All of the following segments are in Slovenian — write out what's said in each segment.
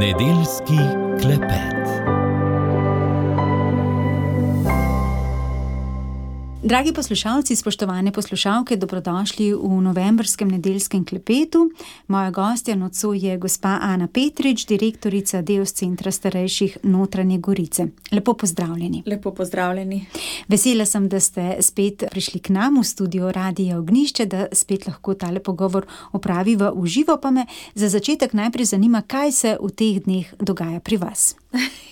Nedeljski klepet. Dragi poslušalci, spoštovane poslušalke, dobrodošli v novembrskem nedeljskem klepetu. Moja gostja nocoj je gospa Ana Petrič, direktorica Deos Centra starejših Notranje Gorice. Lepo pozdravljeni. Lepo pozdravljeni. Vesela sem, da ste spet prišli k nam v studio Radia Ognjišče, da spet lahko tale pogovor opraviva v živo, pa me za začetek najprej zanima, kaj se v teh dneh dogaja pri vas.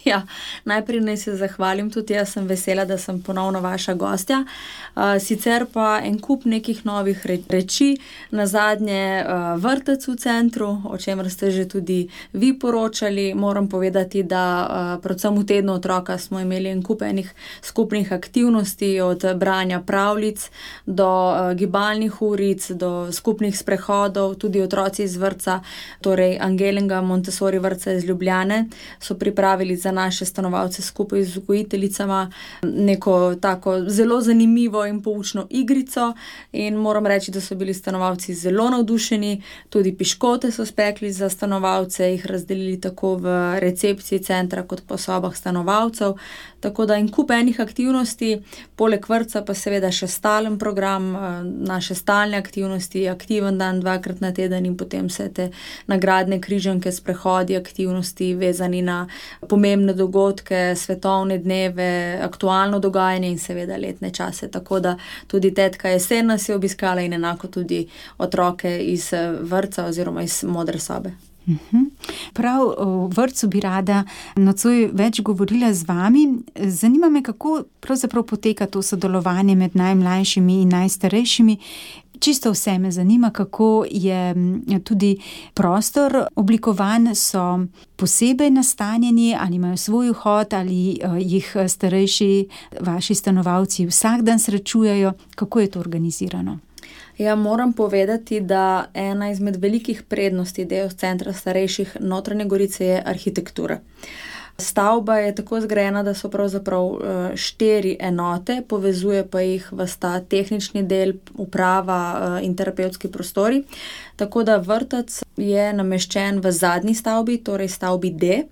Ja, najprej naj se zahvalim, tudi jaz sem vesela, da sem ponovno vaša gostja. Sicer pa en kup nekih novih reči, nazadnje vrtec v centru, o čemer ste že tudi vi poročali. Moram povedati, da predvsem v tednu otroka smo imeli en kup enih skupnih aktivnosti, od branja pravljic do gibalnih uric, do skupnih sprehodov. Tudi otroci iz vrtca, torej Angelinga Montessori vrtca iz Ljubljane, so pripravili za naše stanovalce skupaj z vzgojiteljicama neko tako zelo zanimivo in poučno igrico, in moram reči, da so bili stanovalci zelo navdušeni. Tudi piškote so spekli za stanovalce, jih razdelili tako v recepciji centra kot po sobah stanovalcev. Tako da en kup enih aktivnosti, poleg vrtca pa seveda še stalen program, naše stalne aktivnosti, aktiven dan 2-krat na teden in potem vse te nagradne križanke, sprehodi, aktivnosti vezani na pomembne dogodke, svetovne dneve, aktualno dogajanje in seveda letne čase. Tako da tudi tetka jesen nas je obiskala in enako tudi otroke iz vrtca oziroma iz modre sobe. Prav o vrtcu bi rada nocoj več govorila z vami. Zanima me, kako pravzaprav poteka to sodelovanje med najmlajšimi in najstarejšimi. Čisto vse me zanima, kako je tudi prostor oblikovan, so posebej nastanjeni, ali imajo svoj vhod, ali jih starejši vaši stanovalci vsak dan srečujejo. Kako je to organizirano? Ja, moram povedati, da ena izmed velikih prednosti Deos Centra starejših Notranje Gorice je arhitektura. Stavba je tako zgrajena, da so pravzaprav 4 enote, povezuje pa jih sta tehnični del, uprava in terapevtski prostori. Tako da vrtec je nameščen v zadnji stavbi, torej stavbi D.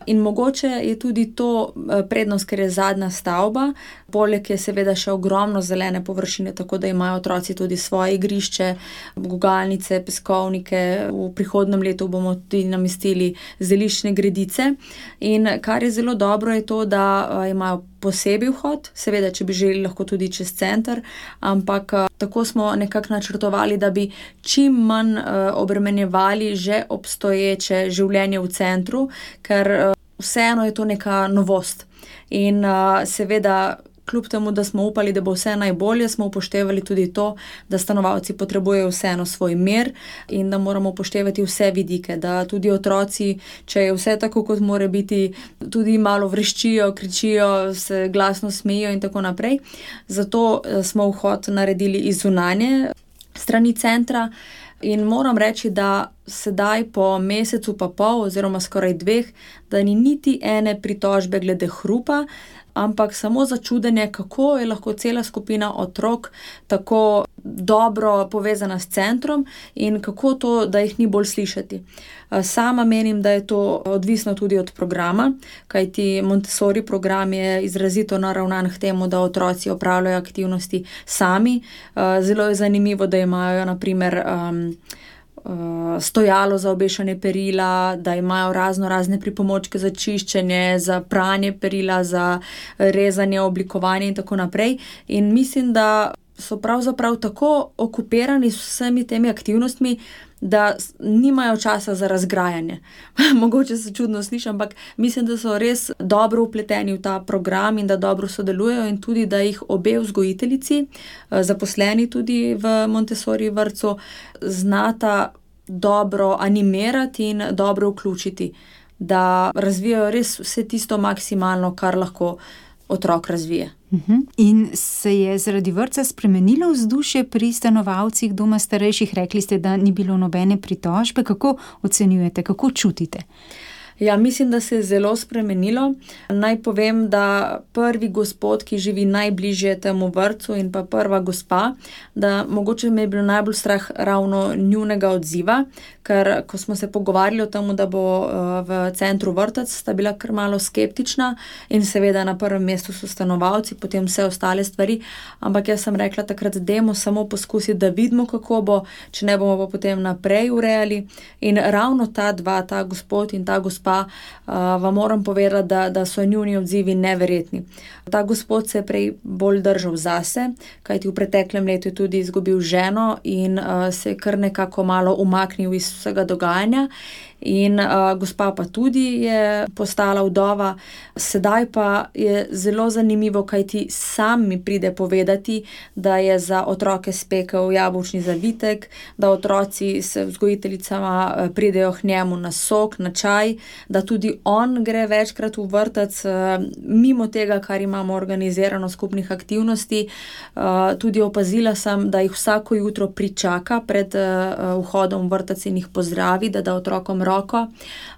In mogoče je tudi to prednost, ker je zadnja stavba. Poleg je seveda še ogromno zelene površine, tako da imajo otroci tudi svoje igrišče, gugalnice, peskovnike. V prihodnjem letu bomo tudi namestili zeliščne gredice. In kar je zelo dobro, je to, da imajo posebej vhod, seveda, če bi želeli, lahko tudi čez center, ampak tako smo nekako načrtovali, da bi čim manj obremenjevali že obstoječe življenje v centru, ker vseeno je to neka novost. In seveda, kljub temu, da smo upali, da bo vse najbolje, smo upoštevali tudi to, da stanovalci potrebujejo vseeno svoj mir in da moramo upoštevati vse vidike, da tudi otroci, če je vse tako, kot mora biti, tudi malo vreščijo, kričijo, se glasno smejijo in tako naprej. Zato smo vhod naredili iz zunanje strani centra in moram reči, da sedaj po mesecu pa pol oziroma skoraj 2, da ni niti ene pritožbe glede hrupa, ampak samo začudenje, kako je lahko cela skupina otrok tako dobro povezana s centrom in kako to, da jih ni bolj slišati. Sama menim, da je to odvisno tudi od programa, kajti Montessori program je izrazito naravnan k temu, da otroci opravljajo aktivnosti sami. Zelo je zanimivo, da imajo na primer stojalo za obešanje perila, da imajo razne pripomočke za čiščenje, za pranje perila, za rezanje, oblikovanje in tako naprej. In mislim, da so pravzaprav tako okupirani s vsemi temi aktivnostmi, da nimajo časa za razgrajanje. Mogoče se čudno sliši, ampak mislim, da so res dobro vpleteni v ta program in da dobro sodelujejo in tudi, da jih obe vzgojiteljici, zaposleni tudi v Montessori vrtcu, znata dobro animirati in dobro vključiti, da razvijajo res vse tisto maksimalno, kar lahko otrok razvije. In se je zaradi vrtca spremenilo vzdušje pri stanovalcih doma starejših? Rekli ste, da ni bilo nobene pritožbe. Kako ocenjujete, kako čutite? Ja, mislim, da se je zelo spremenilo. Naj povem, da prvi gospod, ki živi najbližje temu vrtcu in pa prva gospa, da mogoče me je bilo najbolj strah ravno njunega odziva, ker ko smo se pogovarjali o tem, da bo v centru vrtec, sta bila kar malo skeptična in seveda na prvem mestu so stanovalci, potem vse ostale stvari, ampak jaz sem rekla takrat, dajmo samo poskusiti, da vidimo, kako bo, če ne bomo pa potem naprej urejali. In ravno ta dva, ta gospod in ta gospa, vam moram povedati, da so njuni odzivi neverjetni. Ta gospod se je prej bolj držal zase, kajti v preteklem letu je tudi izgubil ženo in se je kar nekako malo umaknil iz vsega dogajanja. In gospa pa tudi je postala vdova. Sedaj pa je zelo zanimivo, kajti sam mi pride povedati, da je za otroke spekel jabolčni zavitek, da otroci s vzgojiteljicama pridejo k njemu na sok, na čaj, da tudi on gre večkrat v vrtec, mimo tega, kar imamo organizirano skupnih aktivnosti. Tudi opazila sem, da jih vsako jutro pričaka pred vhodom v vrtec in jih pozdravi, da otrokom roko.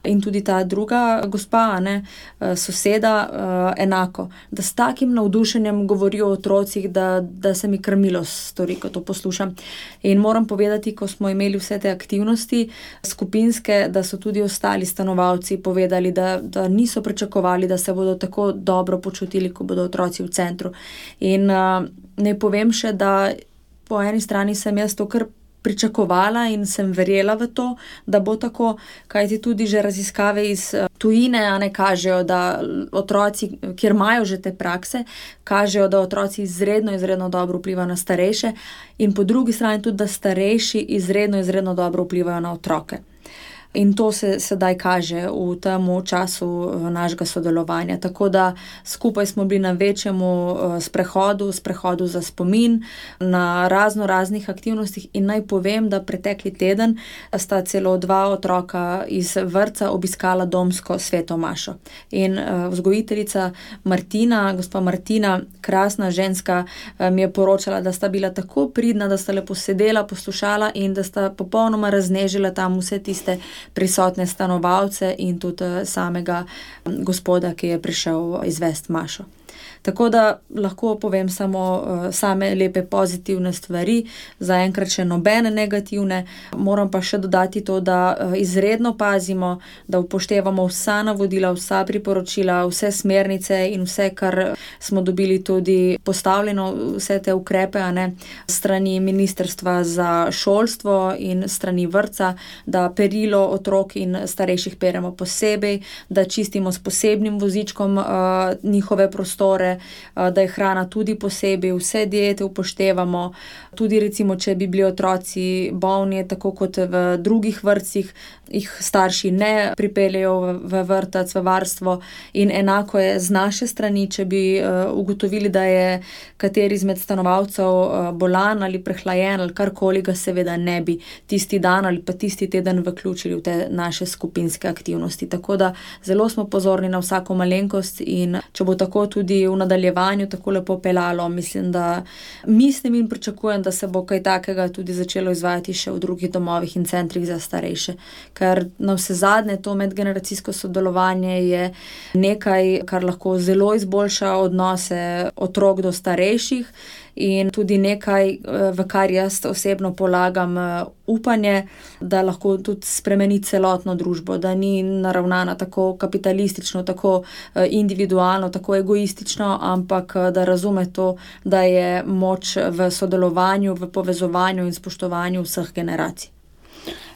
In tudi ta druga gospa, soseda, enako. Da s takim navdušenjem govorijo o otrocih, da se mi krmilo stori, ko to poslušam. In moram povedati, ko smo imeli vse te aktivnosti skupinske, da so tudi ostali stanovalci povedali, da niso pričakovali, da se bodo tako dobro počutili, ko bodo otroci v centru. In ne povem še, da po eni strani sem jaz to kar pričakovala in sem verjela v to, da bo tako, kajti tudi že raziskave iz tujine kažejo, da otroci, kjer imajo že te prakse, kažejo, da otroci izredno dobro vplivajo na starejše in po drugi strani tudi, da starejši izredno dobro vplivajo na otroke. In to se sedaj kaže v tem času našega sodelovanja. Tako da skupaj smo bili na večjemu sprehodu za spomin, na raznih aktivnostih in naj povem, da pretekli teden sta celo 2 otroka iz vrtca obiskala domsko sveto mašo. In vzgojiteljica Martina, gospa Martina, krasna ženska, mi je poročala, da sta bila tako pridna, da sta lepo sedela, poslušala in da sta popolnoma raznežila tam vse tiste prisotne stanovalce in tudi samega gospoda, ki je prišel izvesti mašo. Tako da lahko povem samo same lepe pozitivne stvari, zaenkrat še nobene negativne. Moram pa še dodati to, da izredno pazimo, da upoštevamo vsa navodila, vsa priporočila, vse smernice in vse, kar smo dobili tudi postavljeno, vse te ukrepe, strani Ministrstva za šolstvo in strani vrtca, da perilo otrok in starejših peremo posebej, da čistimo s posebnim vozičkom njihove prostore, da je hrana tudi posebej, vse diete upoštevamo. Tudi recimo, če bi bili otroci bolni, tako kot v drugih vrtcih, jih starši ne pripeljejo v vrtec, v varstvo in enako je z naše strani, če bi ugotovili, da je kateri izmed stanovalcev bolan ali prehlajen ali karkoli, ga seveda ne bi tisti dan ali pa tisti teden vključili v te naše skupinske aktivnosti. Tako da zelo smo pozorni na vsako malenkost in če bo tako tudi v nadaljevanju tako lepo peljalo, mislim in pričakujem, da se bo kaj takega tudi začelo izvajati še v drugih domovih in centrih za starejše. Ker navsezadnje to medgeneracijsko sodelovanje je nekaj, kar lahko zelo izboljša odnose otrok do starejših in tudi nekaj, v kar jaz osebno polagam upanje, da lahko tudi spremeni celotno družbo, da ni naravnana tako kapitalistično, tako individualno, tako egoistično, ampak da razume to, da je moč v sodelovanju, v povezovanju in spoštovanju vseh generacij.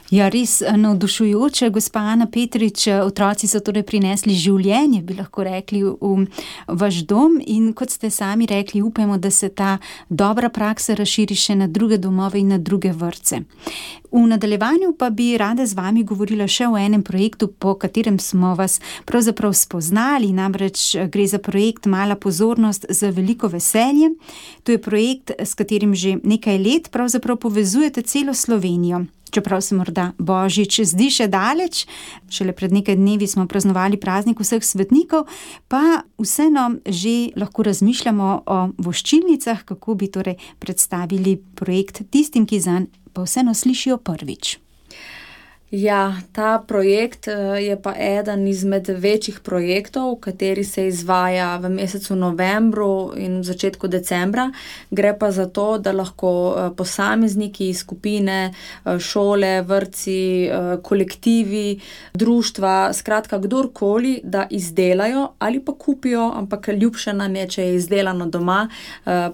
Ja, res navdušujoče, gospa Ana Petrič, otroci so torej prinesli življenje, bi lahko rekli, v vaš dom in kot ste sami rekli, upamo, da se ta dobra praksa razširi še na druge domove in na druge vrtce. V nadaljevanju pa bi rada z vami govorila še o enem projektu, po katerem smo vas pravzaprav spoznali, namreč gre za projekt Mala pozornost za veliko veselje. To je projekt, s katerim že nekaj let pravzaprav povezujete celo Slovenijo. Čeprav se morda Božič zdi še daleč, šele pred nekaj dnevi smo praznovali praznik vseh svetnikov, pa vseeno že lahko razmišljamo o voščilnicah, kako bi torej predstavili projekt tistim, ki zanj pa vseeno slišijo prvič. Ja, ta projekt je pa eden izmed večjih projektov, kateri se izvaja v mesecu novembru in v začetku decembra. Gre pa za to, da lahko posamezniki, skupine, šole, vrtci, kolektivi, društva, skratka kdorkoli, da izdelajo ali pa kupijo, ampak ljubše nam je, če je izdelano doma,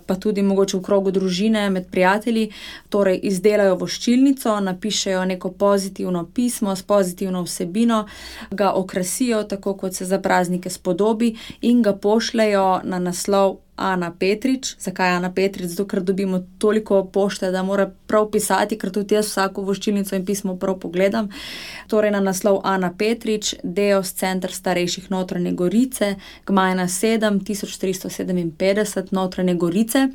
pa tudi mogoče v krogu družine, med prijatelji, torej izdelajo voščilnico, napišejo neko pozitivno pismo s pozitivno vsebino, ga okrasijo tako, kot se za praznike spodobi in ga pošljejo na naslov Ana Petrič. Zakaj Ana Petrič? Zato, ker dobimo toliko pošte, da mora prav pisati, ker tudi jaz vsako voščilnico in pismo prav pogledam. Torej na naslov Ana Petrič, Deos Center starejših Notranje Gorice, Gmajna 7, 1357, Notranje Gorice.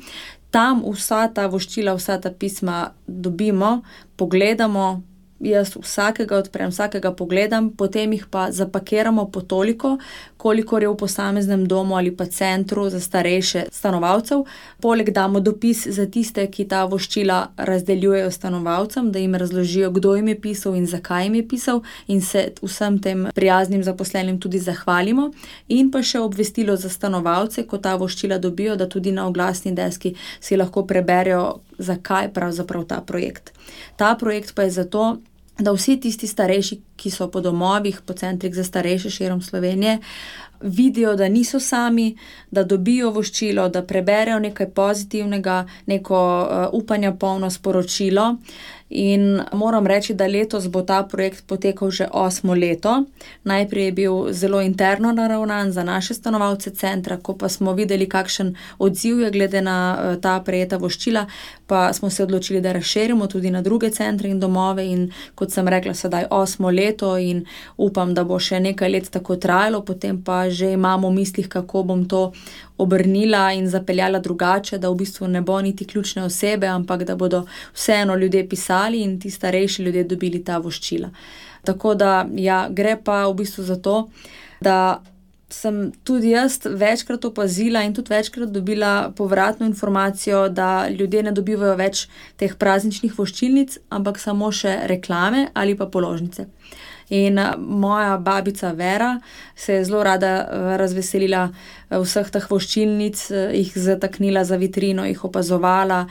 Tam vsa ta voščila, vsa ta pisma dobimo, pogledamo, jaz vsakega odprem, vsakega pogledam, potem jih pa zapakiramo po toliko, kolikor je v posameznem domu ali pa centru za starejše stanovalcev. Poleg damo dopis za tiste, ki ta voščila razdeljujejo stanovalcem, da jim razložijo, kdo jim je pisal in zakaj jim je pisal, in se vsem tem prijaznim zaposlenim tudi zahvalimo. In pa še obvestilo za stanovalce, ko ta voščila dobijo, da tudi na oglasni deski si lahko preberejo, zakaj pravzaprav ta projekt. Ta projekt pa je zato, da vsi tisti starejši, ki so po domovih, po centrih za starejše širom Slovenije, vidijo, da niso sami, da dobijo voščilo, da preberejo nekaj pozitivnega, neko upanja polno sporočilo. In moram reči, da letos bo ta projekt potekal že 8. leto. Najprej je bil zelo interno naravnan za naše stanovalce centra, ko pa smo videli, kakšen odziv je glede na ta prejeta voščila, pa smo se odločili, da razširimo tudi na druge centre in domove in kot sem rekla, sedaj 8. leto in upam, da bo še nekaj let tako trajalo, potem pa že imamo v mislih, kako bom to obrnila in zapeljala drugače, da v bistvu ne bo niti ključne osebe, ampak da bodo vseeno ljudje pisali in ti starejši ljudje dobili ta voščila. Tako da, ja, gre pa v bistvu za to, da sem tudi jaz večkrat opazila in tudi večkrat dobila povratno informacijo, da ljudje ne dobivajo več teh prazničnih voščilnic, ampak samo še reklame ali pa položnice. In moja babica Vera se je zelo rada razveselila vseh teh voščilnic, jih zataknila za vitrino, jih opazovala.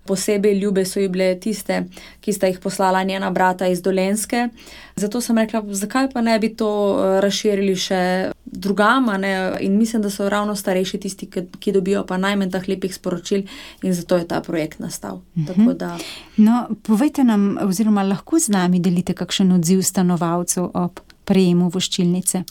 Posebej ljube so ji bile tiste, ki sta jih poslala njena brata iz Dolenjske. Zato sem rekla, zakaj pa ne bi to razširili še drugam, a ne? In mislim, da so ravno starejši tisti, ki dobijo pa najmanj teh lepih sporočil in zato je ta projekt nastal. Tako da... No, povejte nam, oziroma lahko z nami delite kakšen odziv stanovalcev ob prejemu voščilnice?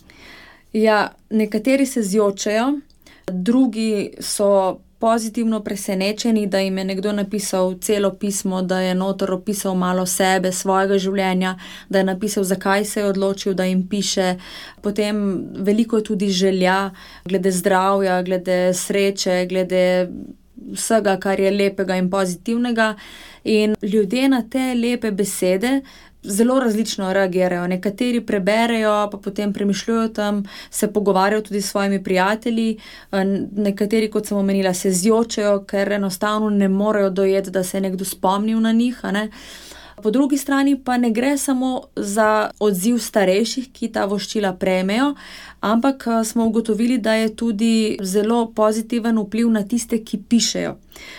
Ja, nekateri se zjočejo, drugi so pozitivno presenečeni, da jim je nekdo napisal celo pismo, da je noter opisal malo sebe, svojega življenja, da je napisal, zakaj se je odločil, da jim piše. Potem veliko je tudi želja glede zdravja, glede sreče, glede vsega, kar je lepega in pozitivnega. In ljudje na te lepe besede zelo različno reagirajo. Nekateri preberejo, pa potem premišljujo tam, se pogovarjajo tudi s svojimi prijatelji. Nekateri, kot sem omenila, se zjočejo, ker enostavno ne morejo dojeti, da se je nekdo spomnil na njih, a ne. Po drugi strani pa ne gre samo za odziv starejših, ki ta voščila prejmejo, ampak smo ugotovili, da je tudi zelo pozitiven vpliv na tiste, ki pišejo.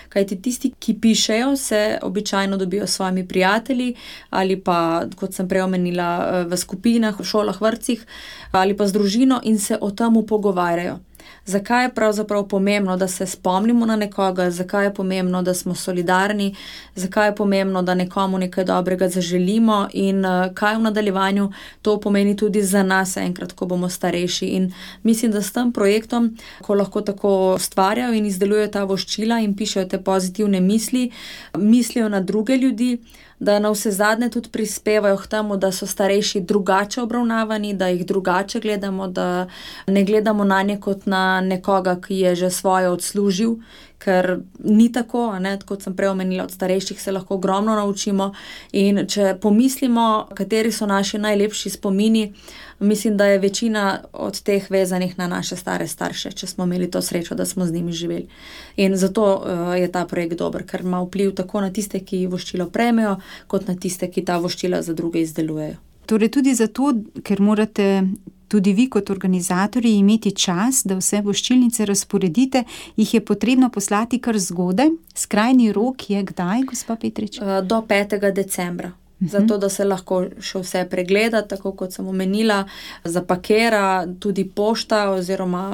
Kajti tisti, ki pišejo, se običajno dobijo s svojimi prijatelji ali pa, kot sem prej omenila, v skupinah, v šolah, vrtcih ali pa z družino in se o tem pogovarjajo. Zakaj je pravzaprav pomembno, da se spomnimo na nekoga, zakaj je pomembno, da smo solidarni, zakaj je pomembno, da nekomu nekaj dobrega zaželimo in kaj v nadaljevanju to pomeni tudi za nas enkrat, ko bomo starejši. In mislim, da s tem projektom, ko lahko tako ustvarjajo in izdelujejo ta voščila in pišejo te pozitivne misli, mislijo na druge ljudi, da navsezadnje tudi prispevajo k temu, da so starejši drugače obravnavani, da jih drugače gledamo, da ne gledamo nanje kot na nekoga, ki je že svoje odslužil, ker ni tako, a ne, kot sem prej omenila, od starejših se lahko ogromno naučimo in če pomislimo, kateri so naši najlepši spomini, mislim, da je večina od teh vezanih na naše stare starše, če smo imeli to srečo, da smo z njimi živeli. In zato je ta projekt dober, ker ima vpliv tako na tiste, ki voščilo prejmejo, kot na tiste, ki ta voščila za druge izdelujejo. Torej tudi zato, ker morate tudi vi kot organizatorji imeti čas, da vse voščilnice razporedite, jih je potrebno poslati kar zgodaj. Skrajni rok je kdaj, gospa Petrič? Do 5. decembra. Zato, da se lahko še vse pregleda, tako kot sem omenila, zapakira, tudi pošta oziroma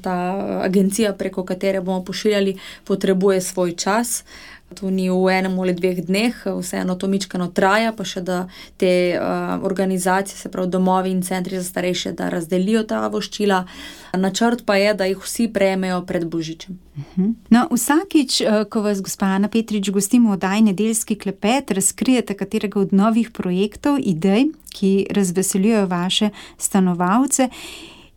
ta agencija, preko katere bomo pošiljali, potrebuje svoj čas. To ni v enem ali 2 dneh, vseeno to mičkeno traja, pa še da te organizacije, se pravi domovi in centri za starejše, da razdelijo ta voščila. Načrt pa je, da jih vsi prejmejo pred Božičem. No, vsakič, ko vas gospa Ana Petrič gostimo v oddaji Nedeljski klepet, razkrijete katerega od novih projektov, idej, ki razveseljujejo vaše stanovalce.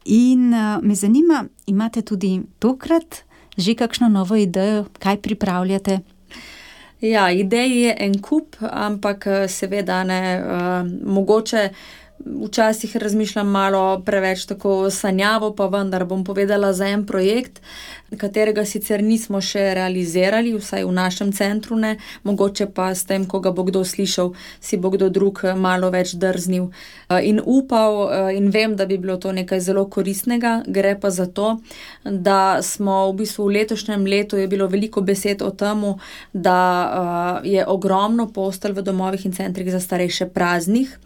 In me zanima, imate tudi tokrat že kakšno novo idejo, kaj pripravljate? Ja, idej je en kup, ampak seveda ne, mogoče včasih razmišljam malo preveč tako sanjavo, pa vendar bom povedala za en projekt, katerega sicer nismo še realizirali, vsaj v našem centru ne, mogoče pa s tem, ko ga bo kdo slišal, si bo kdo drug malo več drznil in upal in vem, da bi bilo to nekaj zelo koristnega. Gre pa za to, da smo v bistvu v letošnjem letu je bilo veliko besed o tem, da je ogromno postelj v domovih in centrih za starejše praznih.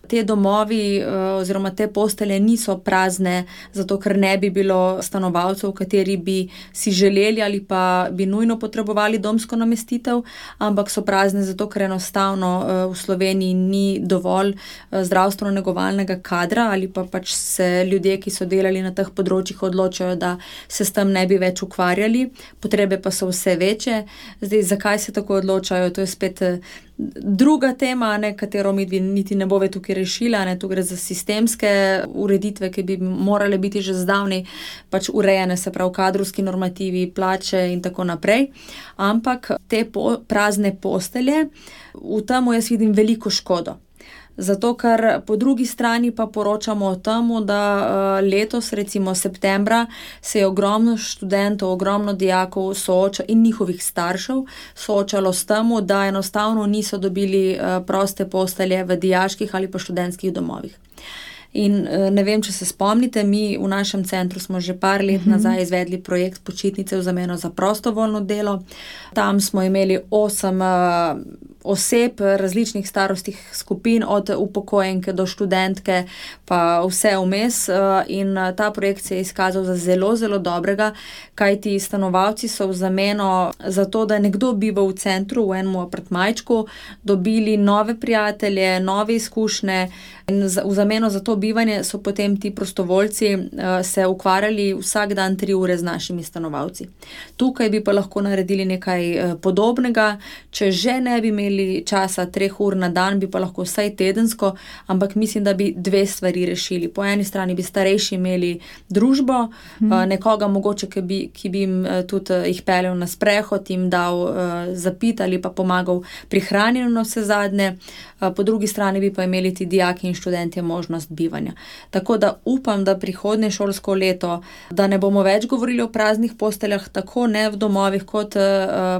Te domovi oziroma te postelje niso prazne, zato ker ne bi bilo stanovalcev, kateri bi si želeli ali pa bi nujno potrebovali domsko namestitev, ampak so prazne zato, ker enostavno v Sloveniji ni dovolj zdravstveno-negovalnega kadra ali pa pač se ljudje, ki so delali na teh področjih, odločajo, da se s tem ne bi več ukvarjali. Potrebe pa so vse večje. Zdaj, zakaj se tako odločajo, to je spet druga tema, katero mi niti ne bove tukaj rešila, tu gre za sistemske ureditve, ki bi morale biti že zdavnaj pač urejene, se pravi kadrovski normativi, plače in tako naprej. Ampak te prazne postelje, v tem jaz vidim veliko škodo. Zato, ker po drugi strani pa poročamo o tem, da letos, recimo septembra, se je ogromno študentov, ogromno dijakov in njihovih staršev soočalo s tem, da enostavno niso dobili proste postelje v dijaških ali pa študentskih domovih. In ne vem, če se spomnite, mi v našem centru smo že par let nazaj izvedli projekt Počitnice v zameno za prostovoljno delo. Tam smo imeli 8 oseb različnih starostnih skupin, od upokojenke do študentke, pa vse vmes. In ta projekt se je izkazal za zelo, zelo dobrega, kajti stanovalci so v zameno za to, da nekdo biva v centru, v enem apartmajčku, dobili nove prijatelje, nove izkušnje. In v zameno za to bivanje so potem ti prostovoljci se ukvarjali vsak dan 3 ure z našimi stanovalci. Tukaj bi pa lahko naredili nekaj podobnega, če že ne bi imeli časa 3 ur na dan, bi pa lahko vsaj tedensko, ampak mislim, da bi 2 stvari rešili. Po eni strani bi starejši imeli družbo, nekoga mogoče, ki bi jim tudi jih peljal na sprehod, jim dal zapit ali pa pomagal pri hranjenju na vse zadnje. Po drugi strani bi pa imeli ti dijaki in študentje možnost bivanja. Tako da upam, da prihodnje šolsko leto, da ne bomo več govorili o praznih posteljah, tako ne v domovih kot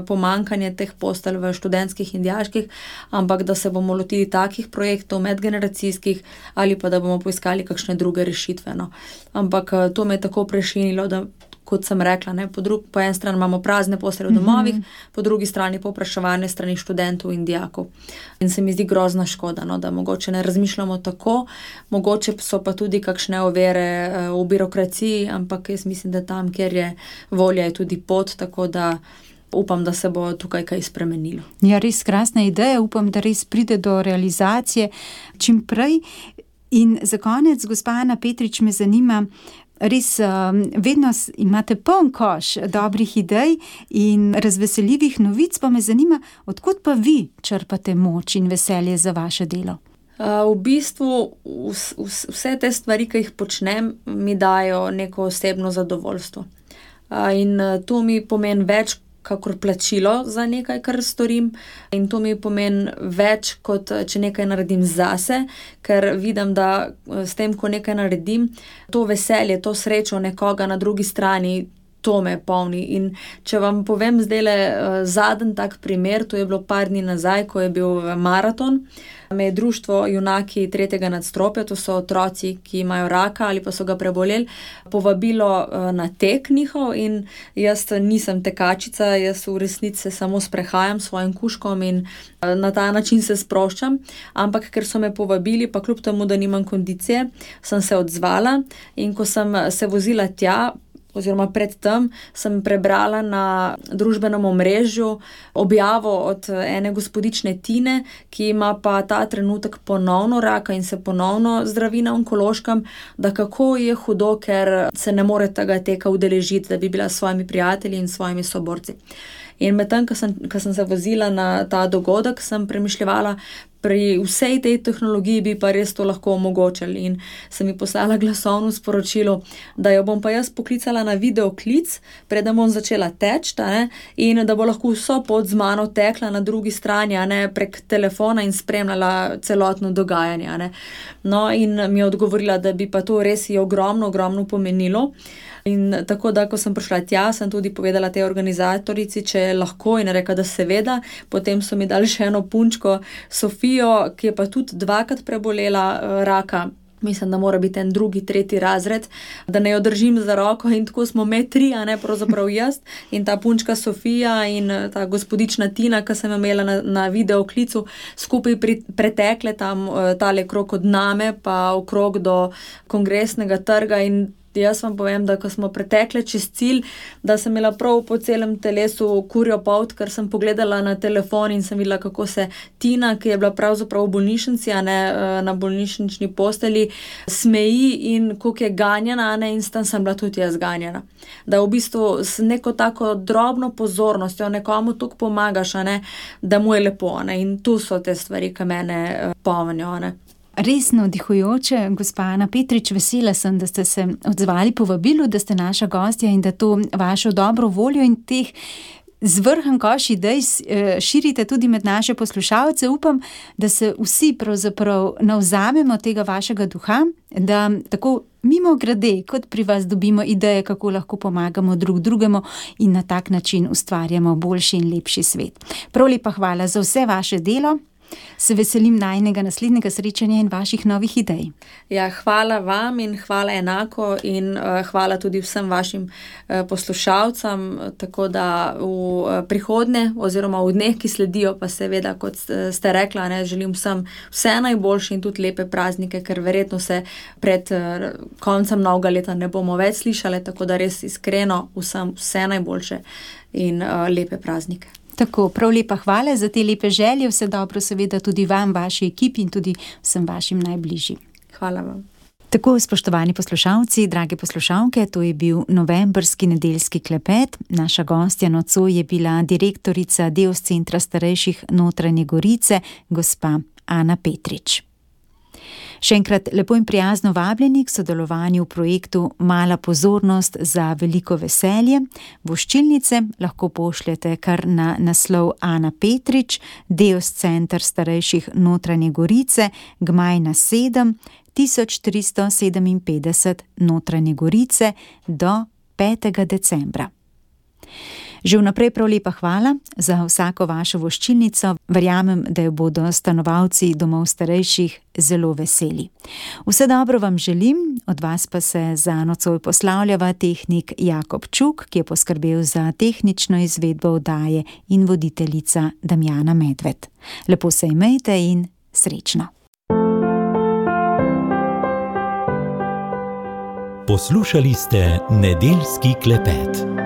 pomanjkanje teh postelj v študentskih in dijaških, ampak da se bomo lotili takih projektov medgeneracijskih ali pa da bomo poiskali kakšne druge rešitve. No. Ampak to me je tako prešinilo, da kot sem rekla, po eni strani imamo prazne postelje v domovih, po drugi strani povpraševanje strani študentov in dijakov. In se mi zdi grozna škoda, da mogoče ne razmišljamo tako, mogoče so pa tudi kakšne ovire v birokraciji, ampak jaz mislim, da tam, kjer je volja, je tudi pot, tako da upam, da se bo tukaj kaj spremenilo. Ja, res krasna ideja, upam, da res pride do realizacije čim prej. In za konec, gospa Ana Petrič, me zanima, res vedno imate poln koš dobrih idej in razveseljivih novic, pa me zanima, odkot pa vi črpate moč in veselje za vaše delo? V bistvu vse te stvari, ki jih počnem, mi dajo neko osebno zadovoljstvo. In to mi pomeni več kakor plačilo za nekaj, kar storim, in to mi pomeni več, kot če nekaj naredim zase, ker vidim, da s tem, ko nekaj naredim, to veselje, to srečo nekoga na drugi strani to me polni. In če vam povem zdajle zadnji tak primer, to je bilo par dni nazaj, ko je bil maraton, me je društvo Junaki tretjega nadstropja, to so otroci, ki imajo raka ali pa so ga preboleli, povabilo na tek njihov in jaz nisem tekačica, jaz v resnici se samo sprehajam s svojim kužkom in na ta način se sproščam, ampak ker so me povabili, pa kljub temu, da nimam kondicije, sem se odzvala in ko sem se vozila tja, oziroma predtem sem prebrala na družbenem omrežju objavo od ene gospodične Tine, ki ima pa ta trenutek ponovno raka in se ponovno zdravi na onkološkem, da kako je hudo, ker se ne more tega teka udeležiti, da bi bila s svojimi prijatelji in svojimi soborci. In medtem, ko sem se vozila na ta dogodek, sem premišljevala, pri vsej tej tehnologiji bi pa res to lahko omogočili in sem mi poslala glasovno sporočilo, da jo bom pa jaz poklicala na videoklic, preden bom začela teči, in da bo lahko vso pot z mano tekla na drugi strani, prek telefona in spremljala celotno dogajanje. No, in mi je odgovorila, da bi pa to res ji ogromno pomenilo. In tako da, ko sem prišla tja, sem tudi povedala tej organizatorici, če je lahko, in rekla, da seveda. Potem so mi dali še eno punčko, Sofijo, ki je pa tudi 2krat prebolela raka. Mislim, da mora biti en 2., 3. razred, da ne jo držim za roko in tako smo me 3, pravzaprav jaz in ta punčka Sofija in ta gospodična Tina, ki sem imela na videoklicu, skupaj pretekle tam tale krog od Name pa okrog do Kongresnega trga in jaz vam povem, da ko smo pretekle čez cilj, da sem imela prav po celem telesu kurjo polt, ker sem pogledala na telefon in sem videla, kako se Tina, ki je bila pravzaprav v bolnišnici, na bolnišnični postelji, smeji in koliko je ganjena, in s tem sem bila tudi jaz ganjena. Da v bistvu s neko tako drobno pozornostjo nekomu toliko pomagaš, da mu je lepo, in tu so te stvari, ki mene polnijo. Res navdihujoče, gospa Ana Petrič, vesela sem, da ste se odzvali povabilu, da ste naša gostja in da to vašo dobro voljo in teh zvrhan koš idej širite tudi med naše poslušalce. Upam, da se vsi pravzaprav navzamemo tega vašega duha, da tako mimogrede, kot pri vas dobimo ideje, kako lahko pomagamo drug drugemu in na tak način ustvarjamo boljši in lepši svet. Prav lepa hvala za vse vaše delo. Se veselim najinega naslednjega srečanja in vaših novih idej. Ja, hvala vam in hvala enako in hvala tudi vsem vašim poslušalcem, tako da v prihodnje oziroma v dneh, ki sledijo, pa seveda, kot ste rekla, želim vsem vse najboljše in tudi lepe praznike, ker verjetno se pred koncem novega leta ne bomo več slišali, tako da res iskreno vsem vse najboljše in lepe praznike. Tako, prav lepa hvala za te lepe želje, vse dobro seveda tudi vam, vaši ekipi in tudi vsem vašim najbližjim. Hvala vam. Tako, spoštovani poslušalci, drage poslušalke, to je bil novembrski nedeljski klepet. Naša gostja nocoj je bila direktorica Deos centra starejših Notranje Gorice, gospa Ana Petrič. Še enkrat lepo in prijazno vabljeni k sodelovanju v projektu Mala pozornost za veliko veselje. Voščilnice lahko pošljete kar na naslov Ana Petrič, Deos center starejših Notranje Gorice, Gmajna 7, 1357 Notranje Gorice do 5. decembra. Že vnaprej prav lepa hvala za vsako vašo voščilnico. Verjamem, da jo bodo stanovalci domov starejših zelo veseli. Vse dobro vam želim, od vas pa se za nocoj poslavljava tehnik Jakob Čuk, ki je poskrbel za tehnično izvedbo oddaje, in voditeljica Damjana Medved. Lepo se imejte in srečno. Poslušali ste nedeljski klepet.